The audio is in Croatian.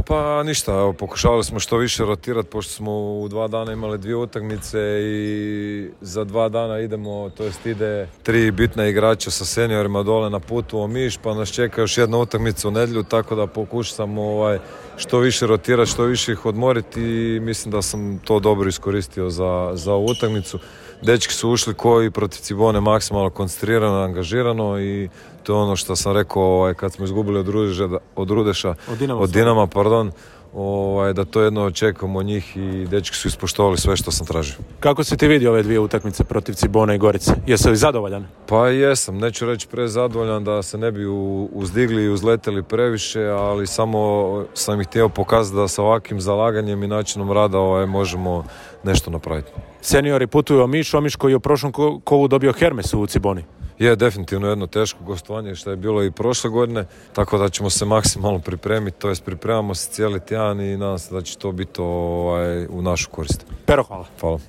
Pa ništa, evo, pokušavali smo što više rotirati pošto smo u 2 dana imali 2 utakmice i za 2 dana idemo, to jest ide 3 bitna igrača sa seniorima dole na putu u Omiš, pa nas čeka još jedna utakmica u nedjelju, tako da pokušam što više rotirati, što više ih odmoriti i mislim da sam to dobro iskoristio za ovu utakmicu. Dečki su ušli koji protiv Cibone maksimalno koncentrirano, angažirano i to je ono što sam rekao kad smo izgubili od Dinama, da to jedno očekujemo od njih i dečki su ispoštovali sve što sam tražio. Kako si ti vidio ove 2 utakmice protiv Cibone i Gorice? Jesi li zadovoljan? Pa jesam, neću reći prezadovoljan da se ne bi uzdigli i uzleteli previše, ali samo sam ih htio pokazati da sa ovakvim zalaganjem i načinom rada možemo nešto napraviti. Seniori putuju u Omiš koji je u prošlom kolu dobio Hermes u Ciboni. Je definitivno jedno teško gostovanje što je bilo i prošle godine, tako da ćemo se maksimalno pripremiti, to jest pripremamo se cijeli tjedan i nadam se da će to biti u našu korist. Pero, hvala. Hvala.